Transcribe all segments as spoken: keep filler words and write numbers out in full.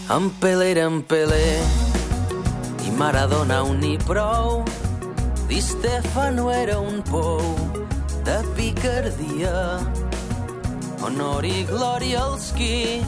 En Pelé era en Pelé i Maradona un ni prou. Di Stefano era un pou de picardia. Honor i glòria als qui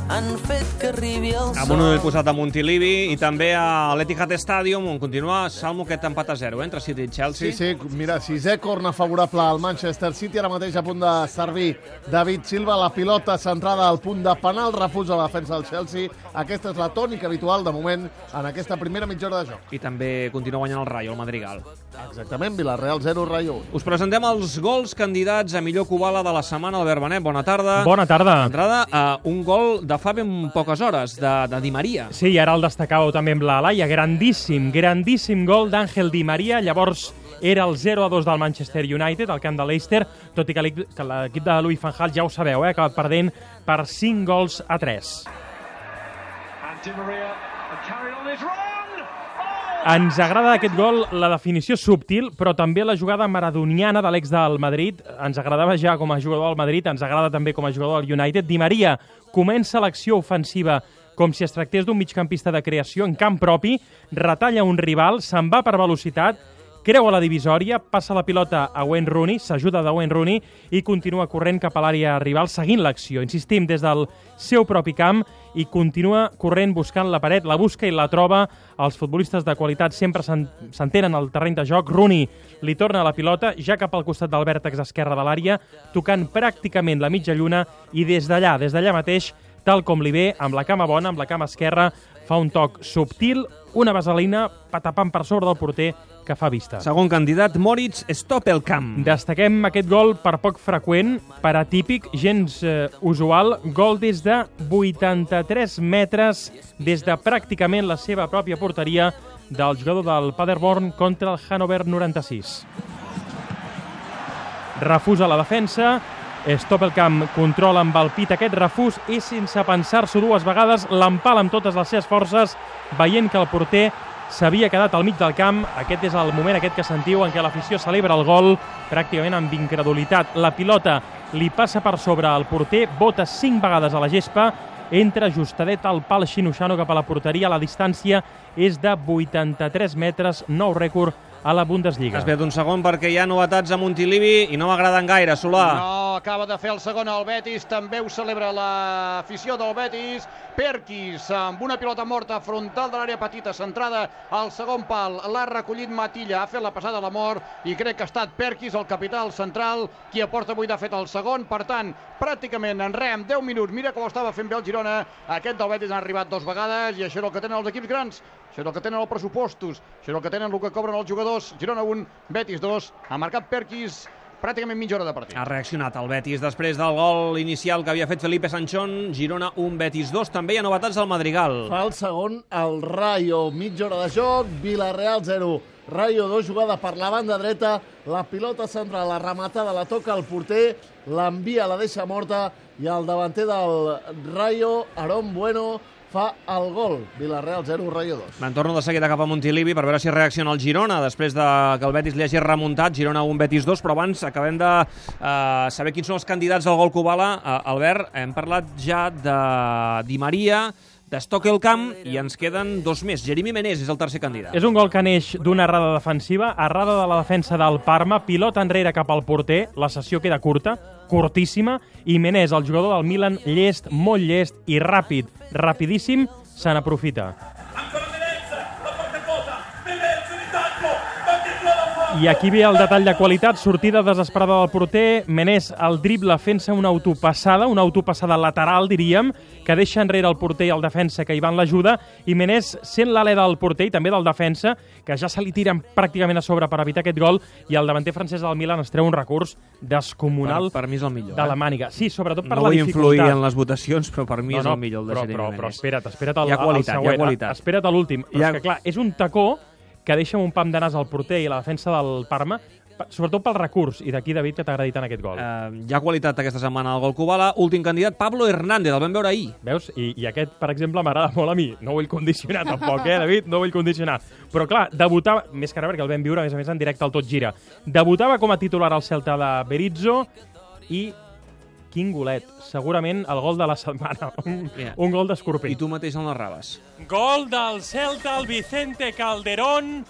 han fet que arribi el sol. Amb un ull posat a Montilivi i també a l'Etihad Stadium, on continua Salmo aquest empat a zero, eh, entre City i Chelsea. Sí, sí, mira, sisè corna favorable al Manchester City, ara mateix a punt de servir David Silva, la pilota centrada al punt de penal, refusa la defensa del Chelsea. Aquesta és la tònica habitual, de moment, en aquesta primera mitja hora de joc. I també continua guanyant el Rayo, el Madrigal. Exactament, Villarreal zero, Rayo un. Us presentem els gols candidats a millor Kubala de la setmana. Albert Benet, bona tarda. Bona tarda. D'entrada, uh, un gol de fa ben poques hores, de, de Di Maria. Sí, i ara el destacàveu també amb la Laia. Grandíssim, grandíssim gol d'Àngel Di Maria. Llavors era el zero a dos del Manchester United, al camp de Leicester, tot i que l'equip de Louis van Gaal, ja ho sabeu, eh, ha acabat perdent per cinc gols a tres. Ens agrada aquest gol, la definició subtil, però també la jugada maradoniana de l'ex del Madrid. Ens agradava ja com a jugador del Madrid, ens agrada també com a jugador del United. Di Maria comença l'acció ofensiva com si es tractés d'un migcampista de creació en camp propi, retalla un rival, se'n va per velocitat, creu a la divisòria, passa la pilota a Wayne Rooney, s'ajuda de Wayne Rooney i continua corrent cap a l'àrea rival seguint l'acció. Insistim, des del seu propi camp i continua corrent buscant la paret, la busca i la troba. Els futbolistes de qualitat sempre s'entenen al terreny de joc. Rooney li torna la pilota ja cap al costat del vèrtex esquerre de l'àrea, tocant pràcticament la mitja lluna i des d'allà, des d'allà mateix, tal com li ve, amb la cama bona, amb la cama esquerra, fa un toc subtil, una vaselina, patapam per sobre del porter, que fa vista. Segon candidat, Moritz Stoppelkamp. Destaquem aquest gol per poc freqüent, per atípic, gens eh, usual, gol des de vuitanta-tres metres, des de pràcticament la seva pròpia porteria del jugador del Paderborn contra el Hannover noranta-sis. Refusa la defensa, Stoppelkamp controla amb el pit aquest refús i sense pensar-s'ho dues vegades l'empala amb totes les seves forces, veient que el porter s'havia quedat al mig del camp. Aquest és el moment aquest que sentiu en què l'afició celebra el gol pràcticament amb incredulitat. La pilota li passa per sobre el porter, bota cinc vegades a la gespa, entra justadet al pal xinoxano cap a la porteria. La distància és de vuitanta-tres metres, nou rècord a la Bundesliga. Espera't un segon perquè hi ha novetats a Montilivi i no m'agraden gaire, Solà. No, acaba de fer el segon al Betis, també ho celebra l'afició del Betis. Perkis amb una pilota morta frontal de l'àrea petita, centrada al segon pal, l'ha recollit Matilla, ha fet la passada a la mort i crec que ha estat Perkis, el capità central, qui aporta avui de fet el segon. Per tant, pràcticament en re, en deu minuts, mira com estava fent bé el Girona, aquest del Betis ha arribat dues vegades i això és el que tenen els equips grans, això és el que tenen els pressupostos, això és el que tenen el que cobren els jugadors. Girona un, Betis dos, ha marcat Perkis, pràcticament mitja hora de partit. Ha reaccionat el Betis després del gol inicial que havia fet Felipe Sanchón. Girona un, Betis dos. També hi ha novetats al Madrigal. Fa el segon el Rayo, mitja hora de joc, Villarreal zero, Rayo dos, jugada per la banda dreta, la pilota central, la rematada, la toca el porter, l'envia, la deixa morta i el davanter del Rayo, Aarón Bueno, fa el gol. Villarreal zero, Rayo dos. Me'n torno de seguida cap a Montilivi per veure si reacciona el Girona després de que el Betis li hagi remuntat. Girona un, Betis dos, però abans acabem de uh, saber quins són els candidats del gol Kubala. Uh, Albert, hem parlat ja de Di Maria, de Stoppelkamp i ens queden dos més. Jeremy Menés és el tercer candidat. És un gol que neix d'una errada defensiva, errada de la defensa del Parma, pilota enrere cap al porter, la sessió queda curta, curtíssima, i Menés, el jugador del Milan, llest, molt llest i ràpid, rapidíssim, se n'aprofita. I aquí ve el detall de qualitat, sortida desesperada del porter, Menés el dribla fent-se una autopassada, una autopassada lateral, diríem, que deixa enrere el porter i el defensa que hi van l'ajuda, i Menés sent l'alè del porter i també del defensa, que ja se li tiren pràcticament a sobre per evitar aquest gol, i el davanter francès del Milan es treu un recurs descomunal per, per mi és el millor, de la eh? màniga. Sí, sobretot per no la dificultat. No vull influir en les votacions, però per mi no, és no, el millor el de però, Jeremy però, Menés. però espera't, espera't el, hi ha qualitat, el següent. Hi ha qualitat. Espera't a l'últim. Però ha... és que, clar, és un tacó que deixa un pam de nas al porter i la defensa del Parma, sobretot pel recurs, i d'aquí, David, que t'ha agradit tant aquest gol. Uh, hi ha qualitat aquesta setmana al gol Kubala. Últim candidat, Pablo Hernández, el vam veure ahir. Veus? I, i aquest, per exemple, m'agrada molt a mi. No vull condicionar tampoc, eh, David? No vull condicionar. Però, clar, debutava, més que ara perquè el vam viure, a més a més, en directe al Tot Gira. Debutava com a titular al Celta de Berizzo i quin golet. Segurament el gol de la setmana. Un, Yeah. un gol d'Escorpí. I tu mateix el narraves. Gol del Celta, el Vicente Calderón,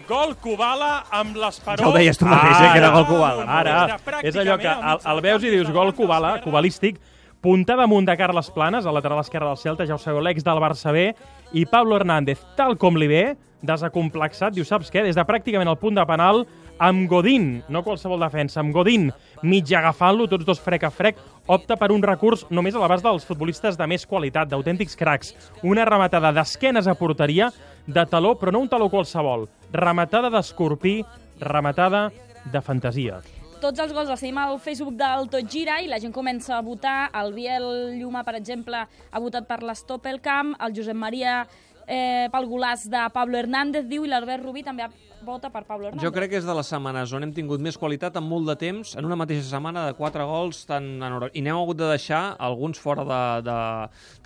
gol Kubala amb l'esperó. Ja ho deies tu mateix, eh, que era gol Kubala. Ara, és allò que el, el veus i dius gol Kubala, kubalístic, punta damunt de Carles Planes, al lateral esquerre del Celta, ja ho sabeu, l'ex del Barça B, i Pablo Hernández, tal com li ve, desacomplexat, diu, saps què? Des de pràcticament el punt de penal, amb Godín, no qualsevol defensa, amb Godín, mig agafant-lo, tots dos frec a frec, opta per un recurs només a l'abast dels futbolistes de més qualitat, d'autèntics cracs. Una rematada d'esquenes a porteria, de taló, però no un taló qualsevol. Rematada d'Escorpí, rematada de fantasia. Tots els gols els tenim al Facebook del Tot Gira i la gent comença a votar. El Biel Lluma, per exemple, ha votat per l'Stoppelkamp, el Josep Maria eh, pel golaç de Pablo Hernández, diu, i l'Albert Rubí també vota per Pablo Hernández. Jo crec que és de les setmanes on hem tingut més qualitat en molt de temps, en una mateixa setmana de quatre gols, tan en... i n'hem hagut de deixar alguns fora de, de,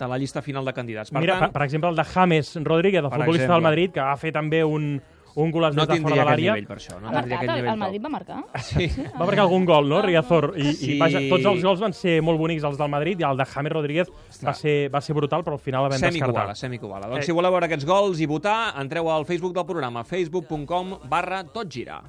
de la llista final de candidats. Per Mira, tant, per, per exemple, el de James Rodríguez, el Per futbolista exemple. del Madrid, que va fer també un, un golaç no des de fora tindria de aquest l'àrea. nivell, per això. No Ha tindria marcat, aquest el, nivell. el Madrid va marcar. Sí. Va marcar algun gol, no, Riazor? I, Sí. i vaja, tots els gols van ser molt bonics, els del Madrid, i el de James Rodríguez va ser, va ser brutal, però al final el vam Semi-Kubala, descartar. semi-Kubala. Doncs Eh. si voleu veure aquests gols i votar, entreu al Facebook del programa, facebook punt com barra totgira.